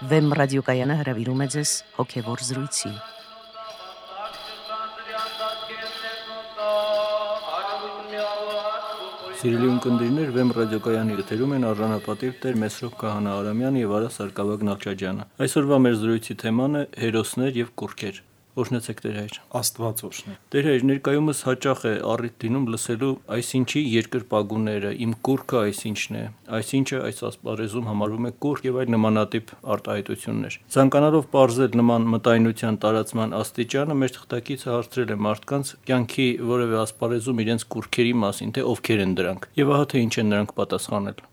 Վեմ ռադիոկայանը հրավիրում է ձեզ հոգևոր զրույցի։ Սիրելի ունկնդիրներ, Վեմ ռադիոկայանի եթերում են արժանապատիվ Տեր Մեսրոպ Քահանա Արամյանը եւ Արա Սարգսակ Նալչաջյանը։ Այսօրվա մեր զրույցի թեման է հերոսներ եւ կուռքեր։ Օրհնեցեք Տեր հայր։ Աստված օրհնի։ Տեր հայր, ներկայումս հաճախ է առիթ դինում լսելու այսինչի երկրպագուները, իմ կուռքը այսինչն է, այսինչը այս ասպարեզում համարվում է կուռք եւ այլ նմանատիպ արտահայտություններ։ Ցանկանալով պարզել նման մտայնության տարածման աստիճանը, մեր թղթակիցը հարցրել է մարդկանց կյանքի որևէ ասպարեզում իրենց կուռքերի մասին, թե ովքեր են դրանք, եւ ահա թե ինչ են նրանք պատասխանել։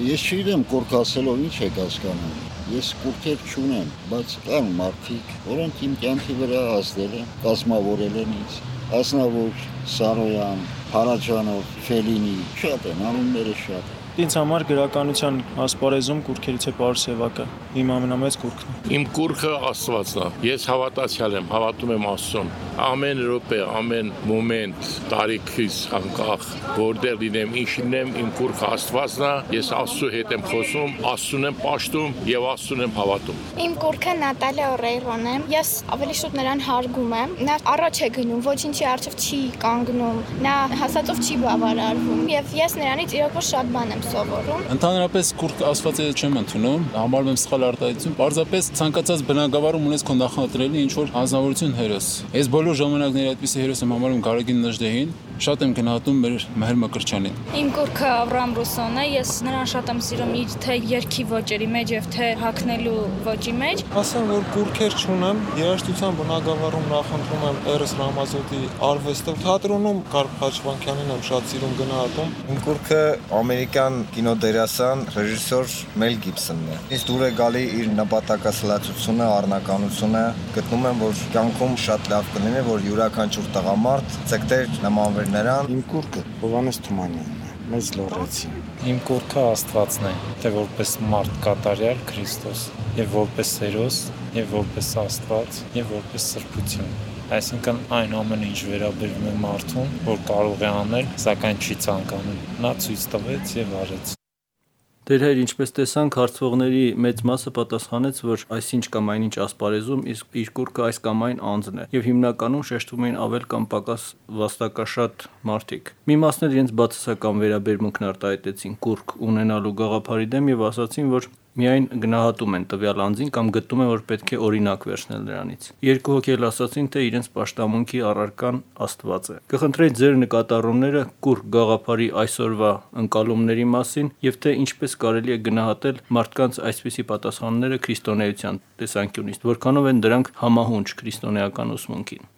Ես չգիտեմ կուռք ասելով ինչ եք հասկանում։ Ես կուռքեր չունեմ, բայց կան մարդիկ, որոնք իմ կյանքի վրա ազդել են, կազմավորել են ինձ։ Ասնավոր, Սարոյան, Փարաջանով, Ֆելինի, շատ են, անունները շատ են։ Ինձ համար գրականության ասպարեզում կուռքերից է Պարս Սևակը, իմ ամենամեծ կուռքն է։ Իմ կուռքը Աստվածն է։ Ես հավատացյալ եմ, հավատում եմ Աստծուն։ Ամեն րոպե, ամեն մոմենտ, տարիքից անկախ, որտեղ լինեմ, ինչ լինեմ, իմ կուռքը Աստվածն է։ Ես Աստծու հետ եմ խոսում, Աստծուն եմ պաշտում եւ Աստծուն եմ հավատում։ Իմ կուռքը Նատալիա Օրեյրոն է։ Ես ավելի շուտ նրան հարգում եմ։ Նա առաջ է գնում, ոչինչի առջև չի կանգնում, նա հասածով չի բավարարվում եւ ես նրանից իրոք շատ բան եմ սովորում։ Ընդհանրապես կուռք Աստվածը չեմ ընդունում, համարում եմ սխալ արտահայտություն, պարզապես ցանկացած բնակավարում ունես քո նախընտրելի ինչ որ անձնավորություն հերոս։ Ես բոլոր ժամանակների այդպիսի հերոս եմ համարում Գարեգին Նժդեհին, շատ եմ գնահատում մեր Մեհր Մկրտչյանին։ Իմ կուռքը Աբրահամ Ռուսոն է, ես նրան շատ եմ սիրում իր թե երգի ոճերի մեջ եւ թե հագնելու ոճի մեջ։ Ասեմ, որ կուռքեր չունեմ, երաժշտության բնակավարում նախընտրում եմ Էրս Ռամազոտի արվեստը, թատրոնում Կարլ Խաչվանքյանին եմ շատ սիրում գնահատում։ Իմ կուռքը ամերիկյան կինոդերասան ռեժիսոր Մել Գիբսոնն է։ Ինձ դուր է գալի իր նպատակասլացությունը, առնականությունը։ Գտնում եմ, որ կյանքում շատ լավ կլինի, որ յուրաքանչյուր տղամարդ ցեկտեր նմանվեր նրան։ Իմ կուռքը Հովհաննես Թումանյանն է, մեծ լոռեցի։ Իմ կուռքը Աստվածն է, թե որպես մարդ կատարյալ Քրիստոս, եւ որպես հերոս, եւ որպես Աստված, եւ որպես սրբություն։ Այսինքն այն ամենը ինչ վերաբերվում է մարդուն, որ կարող է անել, սակայն չի ցանկանում։ Նա ցույց տվեց եւ արեց։ Տեր հայր, ինչպես տեսանք, հարցվողների մեծ մասը պատասխանեց, որ այսինչ կամ այնինչ ասպարեզում իսկ իր կուռքը այս կամ այն անձն է, եւ հիմնականում շեշտում էին ավել կամ պակաս վաստակաշատ մարդիկ։ Մի մասն էլ իրենց բացասական վերաբերմունքն արտահայտեցին կուռք ունենալու գաղափարի դեմ եւ ասացին, որ միայն գնահատում են տվյալ անձին կամ գտնում են, որ պետք է օրինակ վերցնել նրանից։ Երկու հոգի էլ ասացին, թե իրենց պաշտամունքի առարկան Աստված է։ Կխնդրեի ձեր նկատառումները կուռք գաղափարի այսօրվա ընկալումների մասին եւ թե ինչպես կարելի է գնահատել մարդկանց այսպիսի պատասխանները քրիստոնեության տեսանկյունից, որքանով են դրանք համահունչ քրիստոնեական ուսմունքին։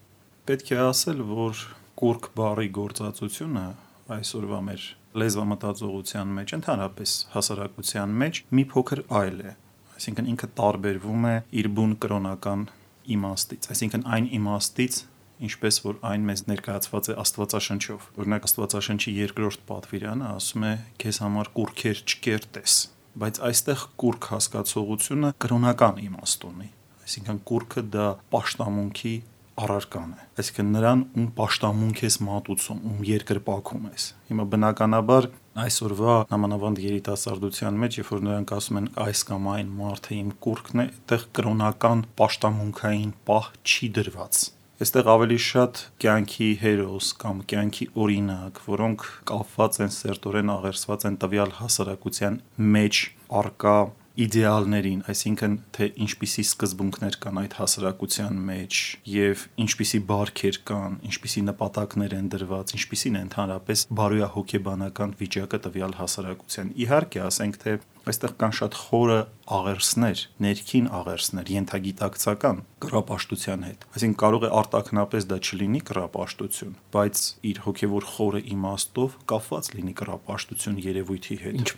Պետք է ասել, որ կուռք բառի գործածությունը այսօրվա մեր լեզվամտածողության մեջ, ընդհանրապես հասարակության մեջ մի փոքր այլ է։ Այսինքն ինքը տարբերվում է իր բուն կրոնական իմաստից, այսինքն այն իմաստից, ինչպես որ այն մեզ ներկայացված է Աստվածաշնչով։ Օրինակ Աստվածաշնչի 2-րդ պատվիրանը ասում է. «Քեզ համար կուռքեր չկերտես», բայց այստեղ կուռք հասկացողությունը կրոնական իմաստ ունի։ Այսինքն կուռքը դա պաշտամունքի առարկան է, այսինքն նրան ում պաշտամունք ես մատուցում, ում երկրպագում ես։ Հիմա բնականաբար այսօրվա նամանավանդ երիտասարդության մեջ, երբ որ նրանք ասում են այս կամ այն մարդը իմ կուռքն է, այդտեղ կրոնական պաշտամունքային պահ չի դրված։ Այստեղ ավելի շատ կյանքի հերոս կամ կյանքի օրինակ, որոնք կապված են սերտորեն աղերսված են տվյալ հասարակության մեջ առկա իդեալներին, այսինքն թե ինչպիսի սկզբունքներ կան այդ հասարակության մեջ եւ ինչպիսի բարքեր կան, ինչպիսի նպատակներ են դրված, ինչպիսին է ընդհանրապես բարոյահոգեբանական վիճակը տվյալ հասարակության։ Իհարկե, ասենք թե այստեղ կան շատ խորը աղերսներ, ներքին աղերսներ, ենթագիտակցական կռապաշտության հետ։ Այսինքն կարող է արտաքնապես դա չլինի կռապաշտություն, բայց իր հոգևոր խորը իմաստով կապված լինի կռապաշտություն երևույթի հետ։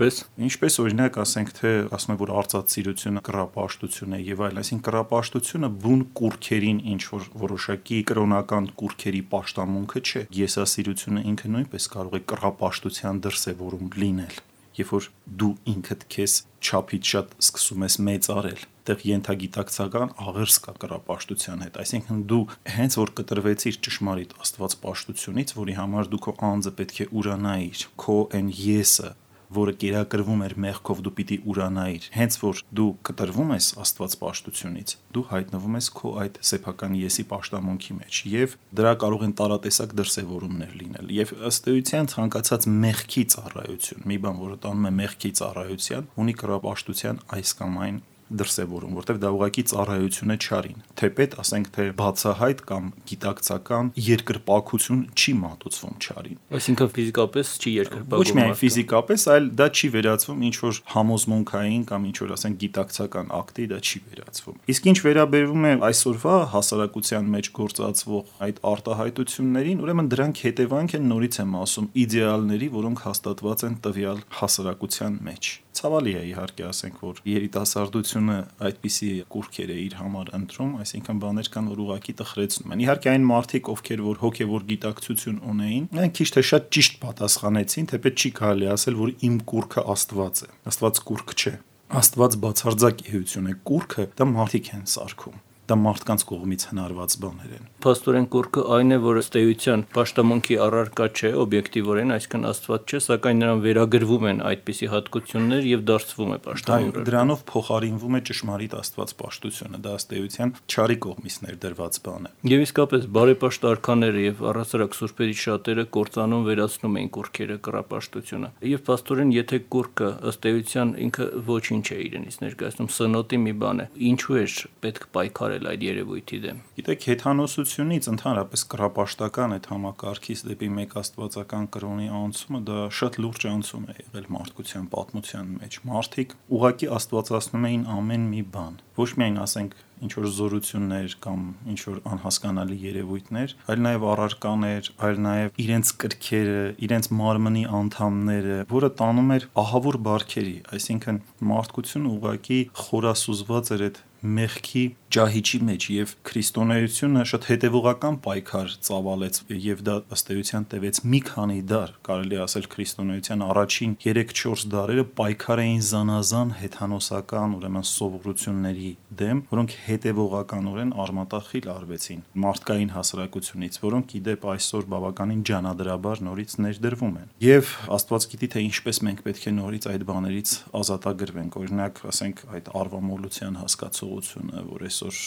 Ինչպես օրինակ ասենք թե ասում են որ արծաթսիրությունը կռապաշտություն է եւ այլն, այսինքն կռապաշտությունը բուն կուռքերին ինչ որ որոշակի կրոնական կուռքերի պաշտամունքը չէ։ Եսասիրությունը ինքը նույնպես կարող է կռապաշտության դրսևորում լինել։ Երբ որ դու ինքդ քեզ չափից շատ սկսում ես մեծարել, այդտեղ ենթագիտակցական աղերս կա կռապաշտության հետ, այսինքն դու հենց որ կտրվեցիր ճշմարիտ աստվածպաշտությունից, որի համար դու քո անձը պետք է ուրանայիր, քո այն եսը որը կերակրվում էր մեղքով, դու պիտի ուրանայիր։ Հենց որ դու կտրվում ես Աստված պաշտությունից, դու հայտնվում ես քո այդ սեփական եսի պաշտամունքի մեջ, եւ դրա կարող են տարատեսակ դրսևորումներ լինել։ Եվ ըստ էության ցանկացած մեղքի ծառայություն, մի բան, որը տանում է մեղքի ծառայության, ունի կռապաշտության այս կամ այն դրսևորում, որտեղ դա ուղղակի ծառայություն է չարին։ Թեպետ, ասենք թե բացահայտ կամ գիտակցական երկրպագություն չի մատուցվում չարին։ Այսինքն ֆիզիկապես չի երկրպագում։ Ոչ միայն ֆիզիկապես, այլ դա չի վերածվում ինչ որ համոզմունքային կամ ինչ որ ասենք գիտակցական ակտի, դա չի վերածվում։ Իսկ ինչ վերաբերվում է այսօրվա հասարակության մեջ գործածվող այդ արտահայտություններին, ուրեմն դրանք հետևանք են, նորից եմ ասում, իդեալների, որոնք հաստատված են տվյալ հասարակության մեջ։ Ցավալի է իհարկե ասենք, որ երիտասարդությունը այդպիսի կուրքեր է իր համար ընտրում, այսինքն բաներ կան, որ ուղղակի տխրեցնում են։ Իհարկե այն մարդիկ, ովքեր որ հոգևոր գիտակցություն ունեին, նրանք քիչ թե շատ ճիշտ պատասխանեցին, թեպետ չի կարելի ասել, որ իմ կուրքը Աստված է։ Աստված կուրք չէ։ Աստված բացարձակ էություն է։ Կուրքը դա մարդիկ են սարքում։ Դա մարդկանց կողմից հնարված բաներ են։ Փաստորեն կուրքը այն է, որ ըստ էության պաշտամունքի առարկա չէ, օբյեկտիվորեն, այսինքն Աստված չէ, սակայն նրան վերագրվում են այդպիսի հատկություններ եւ դարձվում է պաշտամունք։ Դրանով փոխարինվում է ճշմարիտ Աստված պաշտությունը, դա ըստ էության չարի կողմից ներդրված բան է։ Եվ իսկապես բարեպաշտ արքաները եւ առասարակ սուրբերի շատերը կործանում վերացնում են կուրքերը կռապաշտությունը։ Եվ փաստորեն, եթե կուրքը ըստ էության ինքը ոչինչ է իրենից ներկայացնում, սնոտի մի բան է, ինչու է պետք պայքարել այդ երևույթի դեմ։ Գիտեք, հեթանոսությունից ընդհանրապես կռապաշտական այդ համակարգից դեպի մեկ աստվածական կրոնի անցումը դա շատ լուրջ անցում է եղել մարդկության պատմության մեջ։ Մարդիկ ուղղակի աստվածացնում էին ամեն մի բան, ոչ միայն ասենք ինչ որ զորություններ կամ ինչ որ անհասկանալի երևույթներ, այլ նաև առարկաներ, այլ նաև իրենց կրքերը, իրենց մարմնի անդամները, որը տանում էր ահավոր բարքերի, այսինքն մարդկությունը ուղղակի խորասուզված էր այդ մեղքի ջահիջի մեջ եւ քրիստոնեությունը շատ հետեւողական պայքար ծավալեց եւ դա ըստ էության տևեց մի քանի դար, կարելի ասել քրիստոնեության առաջին 3-4 դարերը պայքար էին զանազան հեթանոսական ուրեմն սովորությունների դեմ, որոնք հետեւողականորեն արմատախիլ արվեցին մարդկային հասարակությունից, որոնք իդեպ այսօր բավականին ջանադրաբար նորից ներդրվում են։ Եվ Աստված գիտի թե ինչպես մենք պետք է նորից այդ բաներից ազատագրվենք, օրինակ, ասենք այդ արվամոլության հասկացողությունը, որ այսօր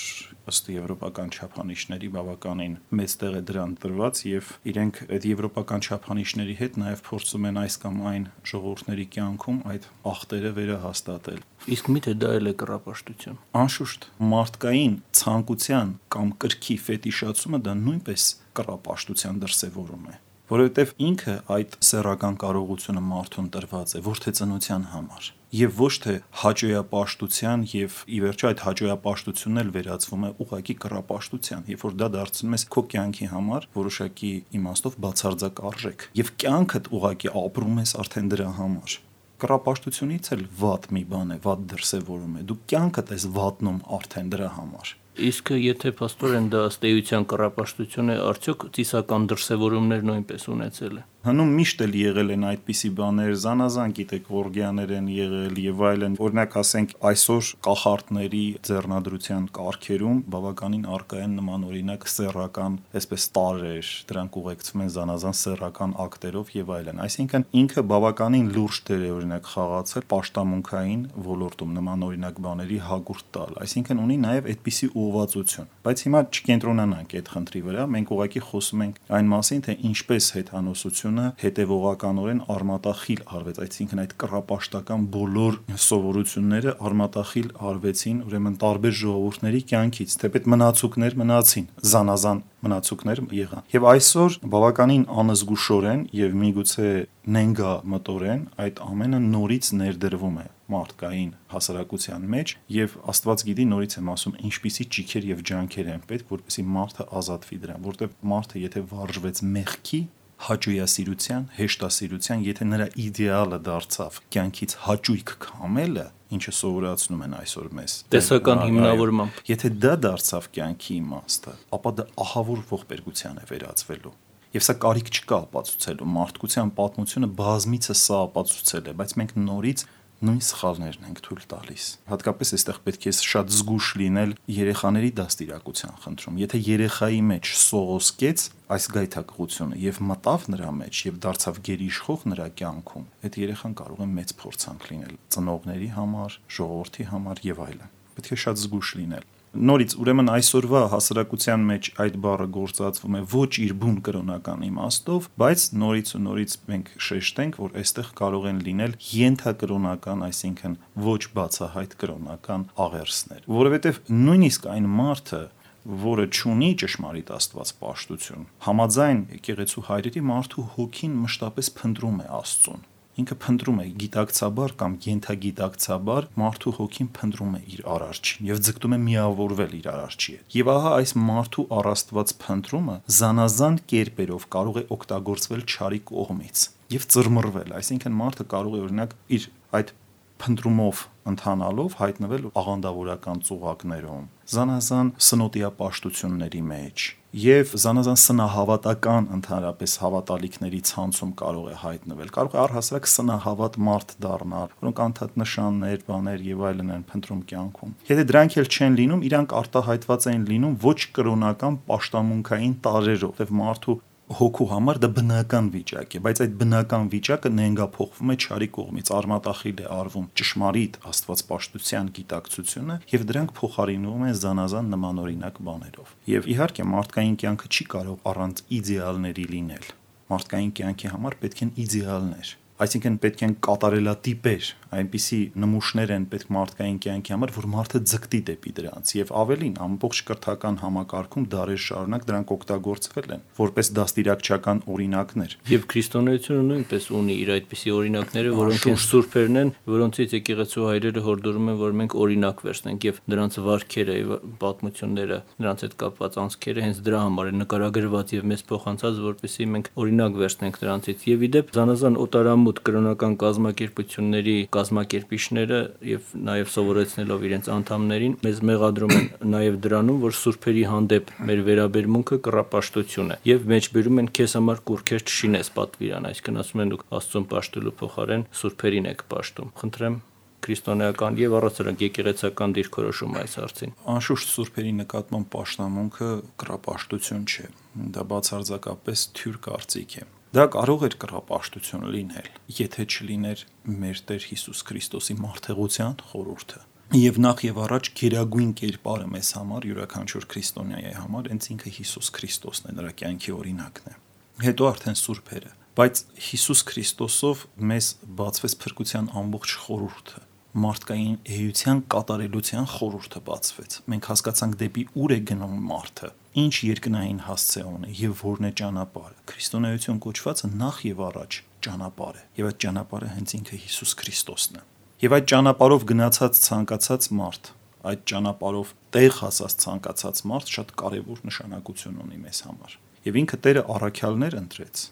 ըստ եվրոպական չափանիշների բավականին մեծ տեղ է դրան տրված եւ իրենք այդ եվրոպական չափանիշների հետ նաեւ փորձում են այս կամ այն ժողովուրդների կյանքում այդ ախտերը վերահաստատել։ Իսկ միթե դա էլ է կռապաշտություն։ Անշուշտ մարդկային ցանկության կամ կրքի ֆետիշացումը դա նույնպես կռապաշտության դրսևորում է, որովհետև ինքը այդ սեռական կարողությունը մարդուն տրված է ոչ թե ծնության համար եւ ոչ թե հաճոյապաշտության եւ ի վերջո այդ հաճոյապաշտությունն էլ վերածվում է ուղղակի կռապաշտության, երբ որ դա դարձնում ես քո կյանքի համար որոշակի իմաստով բացարձակ արժեք եւ կյանքդ ուղղակի ապրում ես արդեն դրա համար։ Կռապաշտությունից էլ վատ մի բան է, վատ դրսևորում է։ Դու կյանքդ ես վատնում արդեն դրա համար։ Իսկ եթե փաստորեն դա ըստ էության կռապաշտություն է, արդյոք ծիսական դրսևորումներ նույնպես ունեցել է։ Հնում միշտ էլ եղել են այդպիսի բաներ, զանազան գիտեք օրգիաներ են եղել եւ այլն, օրինակ ասենք այսօր կախարդների ձեռնադրության կարգերում բավականին առկա են նման օրինակ սեռական, այսպես տարրեր, դրանք ուղեկցվում են զանազան սեռական ակտերով եւ այլն, այսինքն ինքը բավականին լուրջ դեր է օրինակ խաղացել պաշտամունքային ոլորտում նման օրինակ բաների հագուրտ տալ, այսինքն ունի նաեւ այդպիսի ուղղվածություն, բայց հիմա չկենտրոնանանք այդ խնդրի վրա, մենք ուղղակի խոսում ենք այն մասին, թե ինչպես հեթանոսությունը հետևողականորեն արմատախիլ արվեց, այսինքն այդ կռապաշտական բոլոր սովորությունները արմատախիլ արվեցին ուրեմն տարբեր ժողովուրդների կյանքից, թեպետ մնացուկներ մնացին, զանազան մնացուկներ եղան։ Եվ այսօր բավականին անզգուշորեն եւ միգուցե նենգա մտորեն այդ ամենը նորից ներդրվում է մարդկային հասարակության մեջ եւ Աստված գիտի նորից եմ ասում ինչպիսի ճիքեր եւ ջանքեր են պետք որպեսզի մարդը ազատվի դրան, որտեղ մարդը եթե վարժվեց մեղքի հաճույասիրության, հեշտասիրության, եթե նրա իդեալը դարձավ կյանքից հաճույք քամելը, ինչը սովորացնում են այսօր մեզ տեսական հիմնավորմամբ, եթե դա դարձավ կյանքի իմաստը, ապա դա ահավոր ողբերգության է վերածվելու։ Եվ սա կարիք չկա ապացուցելու, մարդկության պատմությունը բազմիցս սա ապացուցել է, բայց մենք նորից նույն սխալներն ենք թույլ տալիս։ Հատկապես այստեղ պետք է շատ զգուշ լինել երեխաների դաստիարակության խնդրում։ Եթե երեխայի մեջ սողոսկեց այս գայթակղությունը եւ մտավ նրա մեջ եւ դարձավ գերիշխող նրա կյանքում, այդ երեխան կարող է մեծ փորձանք լինել ծնողների համար, ժողովրդի համար եւ այլն։ Պետք է շատ զգուշ լինել։ Նորից ուրեմն այսօրվա հասարակության մեջ այդ բառը գործածվում է ոչ իր բուն կրոնական իմաստով, բայց նորից մենք շեշտենք, որ այստեղ կարող են լինել ենթակրոնական, այսինքն ոչ բացահայտ կրոնական աղերսներ, որովհետև նույնիսկ այն մարդը, որը չունի ճշմարիտ Աստված պաշտություն, համաձայն եկեղեցու հայրերի մարդու հոգին մշտապես փնտրում է Աստծուն։ Ինքը փնտրում է գիտակցաբար կամ ենթագիտակցաբար մարդու հոգին փնտրում է իր արարչին եւ ձգտում է միավորվել իր արարչի հետ։ Եվ ահա այս մարդու առաստված փնտրումը զանազան կերպերով կարող է օգտագործվել չարի կողմից եւ ծռմռվել, այսինքն մարդը կարող է օրինակ իր այդ փնտրումով ընթանալով հայտնվել աղանդավորական ծուղակներում, զանազան սնոտիապաշտությունների մեջ եւ զանազան սնահավատական ընդհանրապես հավատալիքների ցանցում կարող է հայտնվել, կարող է առհասարակ սնահավատ մարդ դառնալ, որոնք անդադ նշաններ, բաներ եւ այլն են փնտրում կյանքում։ Եթե դրանք էլ չեն լինում, իրանք արտահայտված են լինում ոչ կրոնական պաշտամունքային տարրերով, եւ մարդու հոգու համար դա բնական վիճակ է, բայց այդ բնական վիճակը նենգափոխվում է չարի կողմից, արմատախիլ է արվում ճշմարիտ աստվածպաշտության գիտակցությունը եւ դրանք փոխարինվում են զանազան նմանօրինակ բաներով։ Եվ իհարկե մարդկային կյանքը չի կարող առանց իդեալների լինել։ Մարդկային կյանքի համար պետք են իդեալներ, այսինքն պետք են կատարելատիպեր, այնպիսի նմուշներ են պետք մարդկային կյանքի համար, որ մարդը ձգտի դեպի դրանց եւ ավելին ամբողջ կրթական համակարգում դարեր շարունակ դրանք օգտագործվել են որպես դաստիարակչական օրինակներ։ Եւ քրիստոնեությունը նույնպես ունի իր այդպիսի օրինակները, որոնք են սուրբերն են, որոնցից եկեղեցու հայրերը հորդորում են, որ մենք օրինակ վերցնենք եւ դրանց վարքերը եւ պատմությունները, դրանց հետ կապված անցքերը հենց դրա համար են նկարագրված եւ մեզ փոխանցած, որպեսզի մենք օրինակ վերցնենք դրանցից։ Եվ իդեպ զանազան օտարամուտ կրոնական կազմակերպությունների կազմակերպիչները եւ նաեւ սովորեցնելով իրենց անդամներին մեզ մեղադրում են նաեւ դրանում, որ սուրբերի հանդեպ մեր վերաբերմունքը կռապաշտություն է եւ մեջբերում են քեզ համար կուրքեր չշինես պատվիրան, այսինքն ասում են դուք Աստծուն պաշտելու փոխարեն սուրբերին եք պաշտում։ Խնդրեմ քրիստոնեական եւ առասարակ եկեղեցական դիրքորոշում այս հարցին։ Անշուշտ սուրբերի նկատմամբ պաշտամունքը կռապաշտություն չէ, դա բացարձակապես թյուր կարծիք է։ Դա կարող էր կռապաշտություն լինել, եթե չլիներ մեր Տեր Հիսուս Քրիստոսի մարդեղության խորհուրդը։ Եվ նախ եւ առաջ գերագույն կերպարը մեզ համար, յուրաքանչյուր քրիստոնյայի համար, հենց ինքը Հիսուս Քրիստոսն է, նրա կյանքի օրինակն է։ Հետո արդեն սուրբերը, բայց Հիսուս Քրիստոսով մեզ բացվեց փրկության ամբողջ խորհուրդը, մարդկային էության կատարելության խորհուրդը բացվեց։ Մենք հասկացանք դեպի ուր է գնում մարդը, ինչ երկնային հասցե ունի եւ որն է ճանապարհը։ Քրիստոնեություն կոչվածը նախ եւ առաջ ճանապարհ է, եւ այդ ճանապարհը հենց ինքը Հիսուս Քրիստոսն է։ Եվ այդ ճանապարհով գնացած ցանկացած մարդ, այդ ճանապարհով տեղ հասած ցանկացած մարդ շատ կարեւոր նշանակություն ունի մեզ համար։ Եվ ինքը Տերը առաքյալներ ընտրեց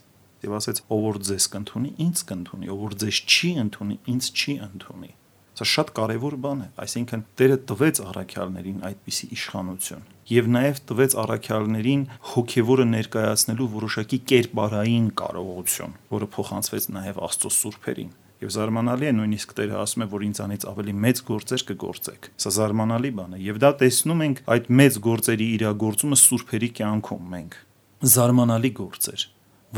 եւ ասեց. ով որ ձեզ կընդունի, ինձ կընդունի, ով որ ձեզ չի ընդունի, ինձ չի ընդունի։ Սա շատ կարևոր բան է, այսինքն Տերը տվեց առաքյալներին այդպիսի իշխանություն եւ նաեւ տվեց առաքյալներին հոգեվորը ներկայացնելու որոշակի կերպարային կարողություն, որը փոխանցվեց նաեւ Աստծո սուրբերին։ Եվ զարմանալի է, նույնիսկ Տերը ասում է, որ ինձանից ավելի մեծ գործեր կգործեք։ Սա զարմանալի բան է եւ դա տեսնում ենք այդ մեծ գործերի իրագործումը սուրբերի կյանքում մենք։ Զարմանալի գործեր,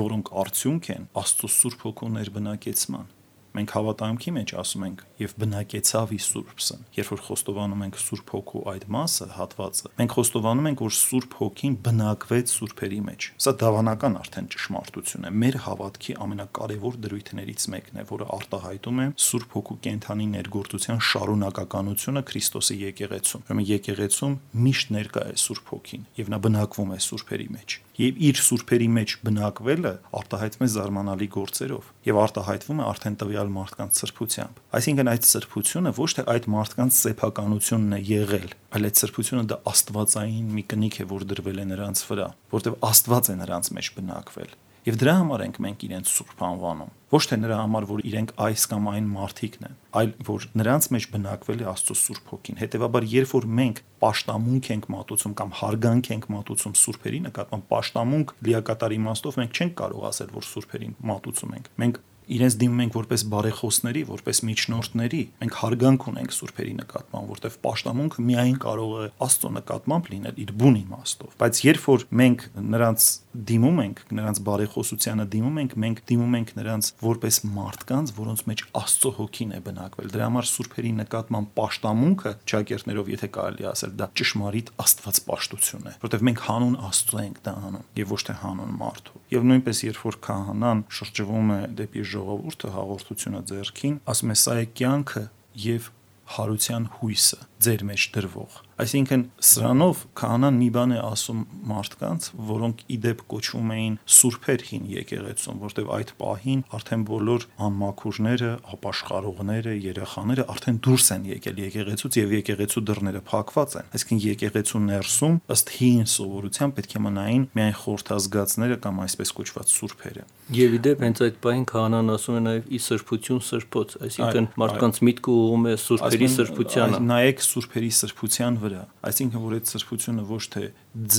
որոնք արդյունք են Աստծո Սուրբ Հոգու ներբնակեցման։ Մենք հավատամքի մեջ ասում ենք եւ բնակեցավ ի Սուրբսն։ Երբ որ խոստովանում ենք Սուրբ Հոգու այդ մասը, հատվածը, մենք խոստովանում ենք, որ Սուրբ Հոգին բնակվեց սուրբերի մեջ։ Սա դավանական արդեն ճշմարտություն է։ Մեր հավատքի ամենակարևոր դրույթներից մեկն է, որը արտահայտում է Սուրբ Հոգու կենթանի ներգործության շարունակականությունը Քրիստոսի եկեղեցում։ Ուրեմն եկեղեցում միշտ ներկա է Սուրբ Հոգին եւ նա բնակվում է սուրբերի մեջ։ Եվ իր սուրբերի մեջ բնակվելը արտահայտվում է զարմանալի գործերով եւ արտահայտվում է արդեն տվյալ մարդկանց սրբությամբ։ Այսինքն այդ սրբությունը ոչ թե այդ մարդկանց սեփականությունն է եղել, այլ այդ սրբությունը դա աստվածային մի կնիք է, որ դրվել է նրանց վրա, որտեղ Աստված է նրանց մեջ բնակվել։ Եվ դրա համար ենք մենք իրենց սուրբ անվանում։ Ոչ թե նրա համար, որ իրենք այս կամ այն մարդիկն են, այլ որ նրանց մեջ բնակվել է Աստծո Սուրբ Հոգին։ Հետևաբար, երբ որ մենք պաշտամունք ենք մատուցում կամ հարգանք ենք մատուցում սուրբերի նկատմամբ, պաշտամունք լիակատար իմաստով մենք չենք կարող ասել, որ սուրբերին մատուցում ենք։ Մենք իրենց դիմում ենք որպես բարեխոսների, որպես միջնորդների, մենք հարգանք ունենք սուրբերի նկատմամբ, որտեղ պաշտամունքը միայն կարող է Աստծո նկատմամբ լինել իր բուն իմաստով, բայց երբ որ մենք նրանց դիմում ենք, նրանց բարեխոսությանը դիմում ենք, մենք դիմում ենք նրանց որպես մարդկանց, որոնց մեջ Աստծո հոգին է բնակվել։ Դրա համար սուրբերի նկատմամբ պաշտամունքը, ճակերտներով եթե կարելի ասել, դա ճշմարիտ աստվածպաշտություն է, որտեղ մենք հանուն Աստծո ենք դա անում եւ ոչ թե հանուն մարդու։ Եվ նույնպես երբ որ քահանան շրջվում է դեպի ժողովուրդը հաղորդությունը ձեռքին, ասում է սա է կյանքը եւ հարության հույսը ձեր մեջ դրվող։ Այսինքն սրանով քահանան մի բան է ասում մարդկանց, որոնք իդեպ կոչվում էին սուրբեր հին եկեղեցում, որտեղ այդ պահին արդեն բոլոր անմաքուրները, ապաշխարողները, երեխաները արդեն դուրս են եկել եկեղեցուց եւ եկեղեցու դռները փակված են։ Այսինքն եկեղեցու ներսում ըստ հին սովորության պետք է մնային միայն խորհրդազգացները կամ այսպես կոչված սուրբերը։ Եվ իդեպ հենց այդ պահին քահանան ասում է նաեւ ի սրբություն սրբոց, այսինքն մարդկանց միտքը ուղղում է սուրբերի սրբությանը։ Նայեք սուրբերի սրբության վրա, այսինքն որ այդ սրբությունը ոչ թե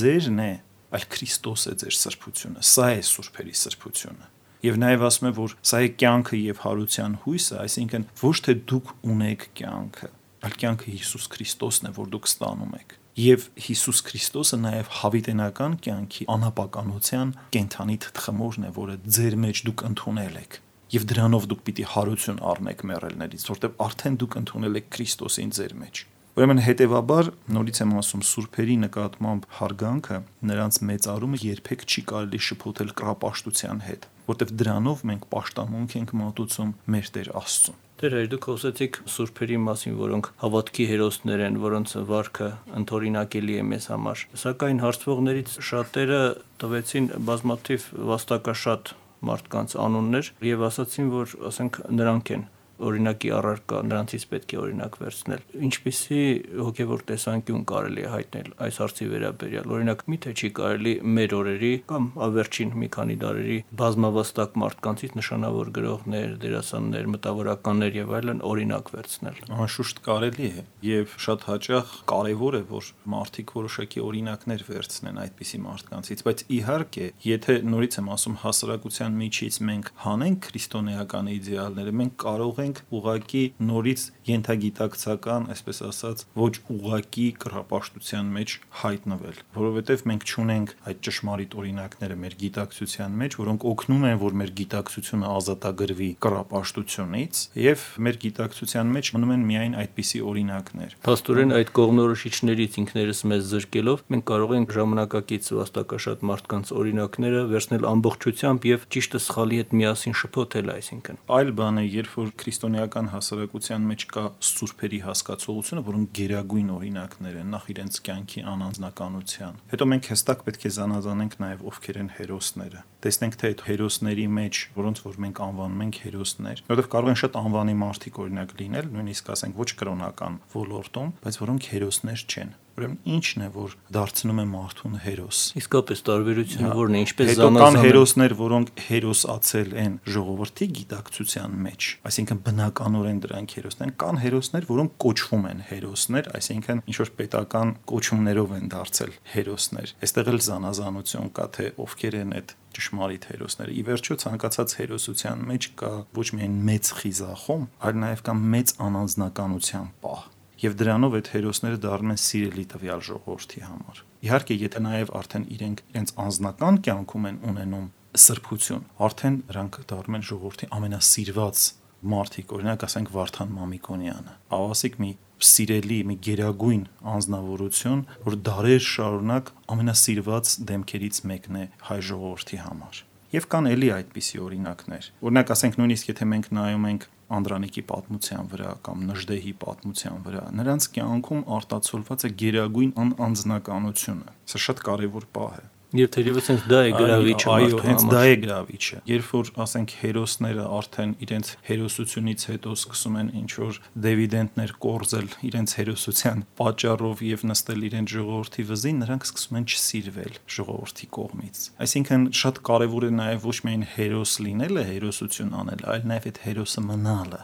ձերն է, այլ Քրիստոս է ձեր սրբությունը, սա է սուրբերի սրբությունը։ Եվ նաև ասում է, որ սա է կյանքը եւ հարության հույսը, այսինքն ոչ թե դուք ունեք կյանքը, այլ կյանքը Հիսուս Քրիստոսն է, որ դուք ստանում եք։ Եվ Հիսուս Քրիստոսը նաև հավիտենական կյանքի անապականության կենթանի թխմորն է, որը ձեր մեջ դուք ընդունել եք։ Եվ դրանով դուք պիտի հարություն առնեք մեռելներից, որտեղ արդեն դուք ընդունել եք Քրիստոսին ձեր մեջ։ Ուրեմն հետևաբար նորից եմ ասում սուրբերի նկատմամբ հարգանքը, նրանց մեծարումը երբեք չի կարելի շփոթել կռապաշտության հետ, որտեղ դրանով մենք պաշտամունք ենք մատուցում մեր Տեր Աստծուն։ Դեր դուք խոսեցիք սուրբերի մասին, որոնք հավատքի հերոսներ են, որոնց վարքը ընդօրինակելի է մեզ համար։ Սակայն հարցվողներից շատերը տվեցին բազմաթիվ վաստակաշատ մարդկանց անուններ եւ ասացին, որ ասենք նրանք են օրինակի առարկա, նրանցից պետք է օրինակ վերցնել։ Ինչպիսի հոգևոր տեսանկյուն կարելի է հայտնել այս հարցի վերաբերյալ։ Օրինակ, միթե չի կարելի մեր օրերի կամ ավերջին մի քանի դարերի բազմավաստակ մարդկանցից նշանավոր գրողներ, դերասաններ, մտավորականներ եւ այլն օրինակ վերցնել։ Անշուշտ կարելի է եւ շատ հաճախ կարեւոր է, որ մարդիկ որոշակի օրինակներ վերցնեն այդպիսի մարդկանցից, բայց իհարկե, եթե նորից եմ ասում հասարակության միջից մենք հանենք քրիստոնեական իդեալները, մենք կարող ենք ուղակի նորից ենթագիտակցական, այսպես ասած, ոչ ուղակի կռապաշտության մեջ հայտնվել, որովհետև մենք չունենք այդ ճշմարիտ օրինակները մեր գիտակցության մեջ, որոնք օգնում են, որ մեր գիտակցությունը ազատագրվի կռապաշտությունից, եւ մեր գիտակցության մեջ մնում են միայն այդպիսի օրինակներ։ Փաստորեն այդ կողմնորոշիչներից ինքներս մեզ զրկելով մենք կարող ենք ժամանակակից վաստակաշատ մարդկանց օրինակները վերցնել ամբողջությամբ եւ ճիշտը սխալի հետ միասին շփոթել, այսինքն։ Այլ բան է, երբ որ քրիստոնեական հասարակության մեջ կա սուրբերի հասկացողությունը, որոնք գերագույն օրինակներ են նախ իրենց կյանքի անանձնականության։ Հետո մենք հստակ պետք է զանազանենք նաև ովքեր են հերոսները։ Տեսնենք թե այդ հերոսների մեջ, որոնց որ մենք անվանում ենք հերոսներ, որովհետև կարող են շատ անվանի մարդիկ օրինակ լինել, նույնիսկ ասենք ոչ կրոնական ոլորտում, բայց որոնք հերոսներ չեն։ Ուրեմն ինչն է, որ դարձնում է մարդուն հերոս։ Իսկապես տարբերությունը որն է, ինչպես զանազանում։ Հետո կան հերոսներ, որոնք հերոսացել են ժողովրդի գիտակցության մեջ, այսինքն բնականորեն դրանք հերոսներ են, կան հերոսներ, որոնք կոչվում են հերոսներ, այսինքն ինչ որ պետական կոչումներով են դարձել հերոսներ։ Այստեղ էլ զանազանություն կա, թե ովքեր են այդ ճշմարիտ հերոսները։ Ի վերջո ցանկացած հերոսության մեջ կա ոչ միայն մեծ խիզախում, այլ նաև կա մեծ անանձնականության պահ։ Եվ դրանով այդ հերոսները դառնում են սիրելի տվյալ ժողովրդի համար։ Իհարկե, եթե նաև արդեն իրենց անձնական կյանքում են ունենում սրբություն, արդեն նրանք դառնում են ժողովրդի ամենասիրված մարդիկ, օրինակ ասենք Վարդան Մամիկոնյանը, ավասիկ մի սիրելի, մի գերագույն անձնավորություն, որ դարեր շարունակ ամենասիրված դեմքերից մեկն է հայ ժողովրդի համար։ Եվ կան էլի այդպիսի օրինակներ։ Օրինակ ասենք նույնիսկ եթե մենք նայում ենք Անդրանիկի պատմության վրա կամ Նժդեհի պատմության վրա, նրանց կյանքում արտացոլված է գերագույն անձնականությունը։ Սա շատ կարևոր պահ է։ Եվ թերևս հենց դա է գրավիչը։ Այո, հենց դա է գրավիչը։ Երբ որ ասենք հերոսները արդեն իրենց հերոսությունից հետո սկսում են ինչ որ դիվիդենդներ կորզել իրենց հերոսության պատճառով եւ նստել իրենց ժողովրդի վզին, նրանք սկսում են չսիրվել ժողովրդի կողմից։ Այսինքն շատ կարեւոր է նաեւ ոչ միայն հերոս լինելը, հերոսություն անել, այլ նաեւ այդ հերոսը մնալը,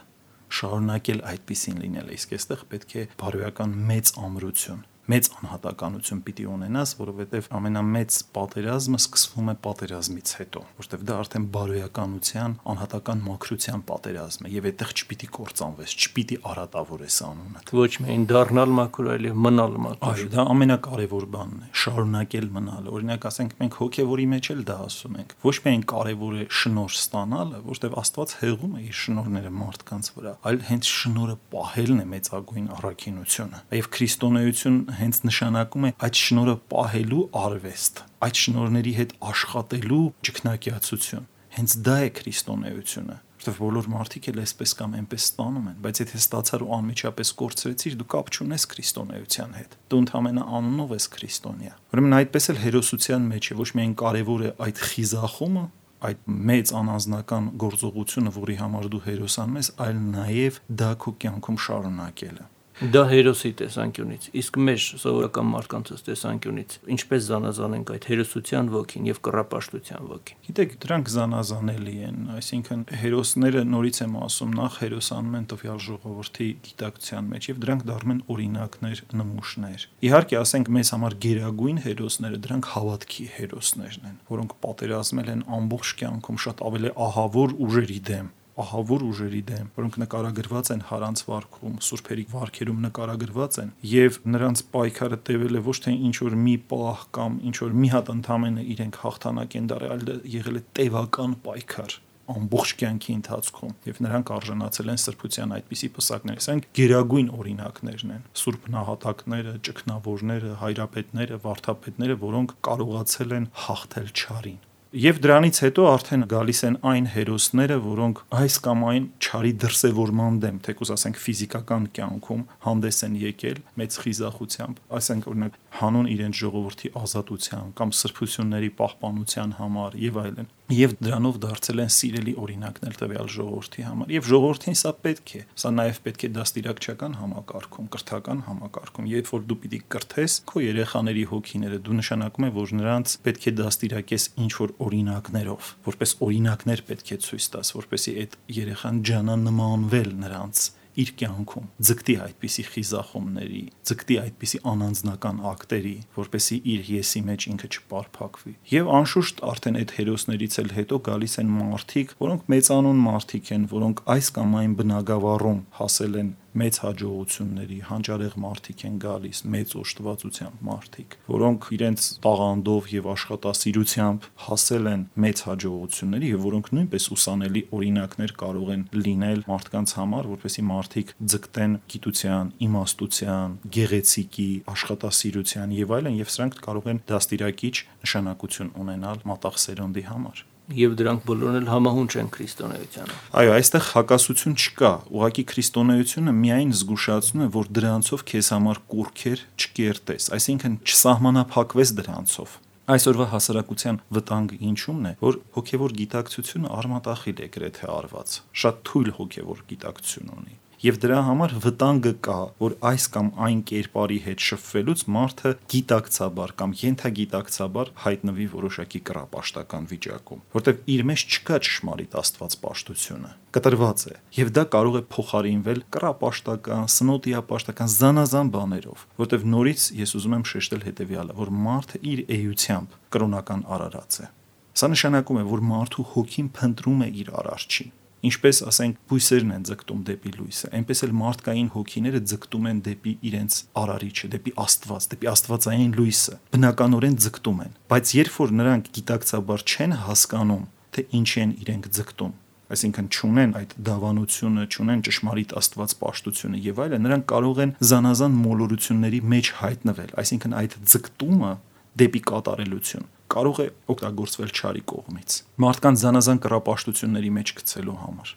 շարունակել այդպիսին լինել։ Իսկ այստեղ պետք է բարոյական մեծ ամրություն, մեծ անհատականություն պիտի ունենաս, որովհետև ամենամեծ պատերազմը սկսվում է պատերազմից հետո, որովհետև դա արդեն բարոյականության, անհատական մաքրության պատերազմ է, եւ այդտեղ չպիտի կործանվես, չպիտի արատավորես անունդ։ Ոչ միայն դառնալ մաքուր, այլև մնալ մաքուր։ Այո, դա ամենակարևոր բանն է, շարունակել մնալը։ Օրինակ, ասենք մենք հոգևորի մեջ էլ դա ասում ենք։ Ոչ միայն կարևոր է շնորհ ստանալը, որովհետև Աստված հեղում է իր շնորհները մարդկանց վրա, այլ հենց շնորհը պահելն է մեծագույն առաքինությունը։ Եվ քրիստոնեություն հենց նշանակում է այդ շնորհը պահելու արվեստ, այդ շնորհների հետ աշխատելու ճգնակիացություն։ Հենց դա է քրիստոնեությունը, որովհետև բոլոր մարդիկ էլ այսպես կամ այնպես ստանում են, բայց եթե ստացար ու անմիջապես կորցրեցիր, դու կապ չունես քրիստոնեության հետ։ Դու ընդհանրապես անունով ես քրիստոնյա։ Ուրեմն այդպես էլ հերոսության մեջ է ոչ միայն կարևոր է այդ խիզախումը, այդ մեծ անանձնական գործողությունը, որի համար դու հերոսանում ես, այլ նաև դա քո կյանքում շարունակելը։ Դա հերոսի տեսանկյունից, իսկ մեր սովորական մարդկանց տեսանկյունից ինչպես զանազանենք այդ հերոսության ոգին եւ կռապաշտության ոգին։ Գիտեք, դրանք զանազանելի են, այսինքն հերոսները նորից եմ ասում, նախ հերոսանում են տվյալ ժողովրդի գիտակցության մեջ եւ դրանք դառնում են օրինակներ, նմուշներ։ Իհարկե, ասենք մեզ համար գերագույն հերոսները դրանք հավատքի հերոսներն են, որոնք պատերազմել են ամբողջ կյանքում շատ ավելի ահավոր ուժերի դեմ, որոնք նկարագրված են Հարանց վարքում, Սուրբերի վարքերում նկարագրված են, եւ նրանց պայքարը տևել է ոչ թե ինչ որ մի պահ կամ ինչ որ մի հատ ընդամենը իրենք հաղթանակ են դարել, այլ եղել է տևական պայքար ամբողջ կյանքի ընթացքում եւ նրանք արժանացել են սրբության այդպիսի պսակներ։ Սրանք գերագույն օրինակներն են։ Սուրբ նահատակները, ճգնավորները, հայրապետները, վարդապետները, որոնք կարողացել են հաղթել չարին։ Եվ դրանից հետո արդեն գալիս են այն հերոսները, որոնք այս կամ այն չարի դրսևորման դեմ, թեկուզ ասենք ֆիզիկական կյանքում հանդես են եկել մեծ խիզախությամբ, ասենք օրինակ հանուն իրենց ժողովրդի ազատության կամ սրբությունների պահպանության համար եւ այլն։ Եվ դրանով դարձել են սիրելի օրինակներ տվյալ ժողովրդի համար։ Եվ ժողովրդին սա պետք է։ Սա նաև պետք է դաստիարակչական համակարգում, կրթական համակարգում։ Երբ որ դու պիտի կրթես քո երեխաների հոգիները, դու նշանակում է, որ նրանց պետք է դաստիարակես ինչ որ օրինակներով, որպես օրինակներ պետք է ցույց տաս, որպեսզի այդ երեխան ջանա նմանվել նրանց իր կյանքում, ձգտի այդպիսի խիզախումների, ձգտի այդպիսի անանձնական ակտերի, որպեսզի իր եսի մեջ ինքը չպարփակվի։ Եվ անշուշտ արդեն այդ հերոսներից էլ հետո գալիս են մարդիկ, որոնք մեծանուն մարդիկ են, որոնք այս կամ այն բնագավառում հասել են մեծ հաջողությունների, հանճարեղ մարդիկ են գալիս, մեծ օժտվածությամբ մարդիկ, որոնք իրենց տաղանդով եւ աշխատասիրությամբ հասել են մեծ հաջողությունների եւ որոնք նույնպես ուսանելի օրինակներ կարող են լինել մարդկանց համար, որպեսզի մարդիկ ձգտեն գիտության, իմաստության, գեղեցիկի, աշխատասիրության եւ այլն, եւ սրանք կարող են դաստիարակիչ նշանակություն ունենալ մատաղ սերունդի համար։ Եվ դրանք բոլորն էլ համահունչ են քրիստոնեությանը։ Այո, այստեղ հակասություն չկա։ Ուղղակի քրիստոնեությունը միայն զգուշացնում է, որ դրանցով քեզ համար կուրքեր չկերտես, այսինքն չսահմանափակվես դրանցով։ Այսօրվա հասարակության վտանգը ինչումն է, որ հոգևոր գիտակցությունը արմատախիլ է գրեթե արված, շատ թույլ հոգևոր գիտակցություն ունի։ Եվ դրա համար վտանգը կա, որ այս կամ այն կերպարի հետ շփվելուց մարդը գիտակցաբար կամ ենթագիտակցաբար հայտնվի որոշակի կռապաշտական վիճակում, որտեղ իր մեջ չկա ճշմարիտ աստվածպաշտությունը, կտրված է, եւ դա կարող է փոխարինվել կռապաշտական, սնոտիապաշտական զանազան բաներով, որտեղ նորից ես ուզում եմ շեշտել հետեւյալը, որ մարդը իր էությամբ կրոնական արարած է։ Սա նշանակում է, որ մարդու հոգին փնտրում է իր արարչին։ Ինչպես ասենք բույսերն են ձգտում դեպի լույսը, այնպես էլ մարդկային հոգիները ձգտում են դեպի իրենց արարիչը, դեպի Աստված, դեպի աստվածային լույսը, բնականորեն ձգտում են, բայց երբ որ նրանք գիտակցաբար չեն հասկանում, թե ինչի են իրենք ձգտում, այսինքն չունեն այդ դավանությունը, չունեն ճշմարիտ աստվածպաշտությունը եւ այլն, նրանք կարող են զանազան մոլորությունների մեջ հայտնվել, այսինքն այդ ձգտումը դեպի կատարելություն կարող է օգտագործվել չարի կողմից, մարդկանց զանազան կռապաշտությունների մեջ գցելու համար,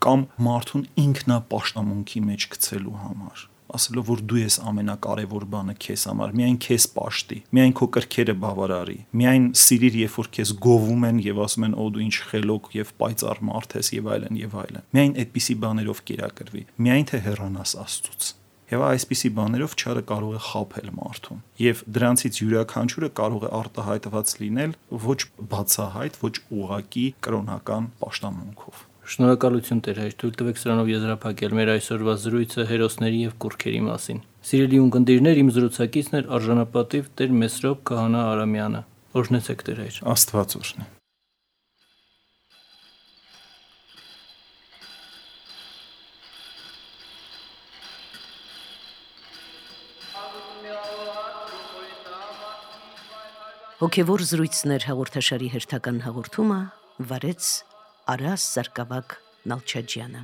կամ մարդուն ինքնապաշտամունքի մեջ գցելու համար, ասելով, որ դու ես ամենակարևոր բանը քեզ համար, միայն քեզ պաշտի, միայն քո կրքերը բավարարի, միայն սիրիր, երբ որ քեզ գովում են եւ ասում են, «Օ դու ինչ խելոք եւ պայծառ մարդ ես» եւ այլն եւ այլն, միայն այդպիսի բաներով կերակրվի, միայն թե հեռանաս Աստծուց։ Եվ այսպիսի բաներով չարը կարող է խաբել մարդուն։ Եվ դրանցից յուրաքանչյուրը կարող է արտահայտված լինել ոչ բացահայտ, ոչ ուղղակի կրոնական պաշտամունքով։ Շնորհակալություն Տեր հայր, թույլ տվեք սրանով եզրափակել մեր այսօրվա զրույցը հերոսների եւ կուռքերի մասին։ Սիրելի ունկնդիրներ, իմ զրուցակիցն էր արժանապատիվ Տեր Մեսրոպ Քահանա Արամյանը։ Օրհնեցեք Տեր հայր։ Աստված օրհնի։ Հոգևոր զրույցներ հաղորդաշարի հերթական հաղորդումը վարեց Արաս Սարգսակ Նալչաջյանը։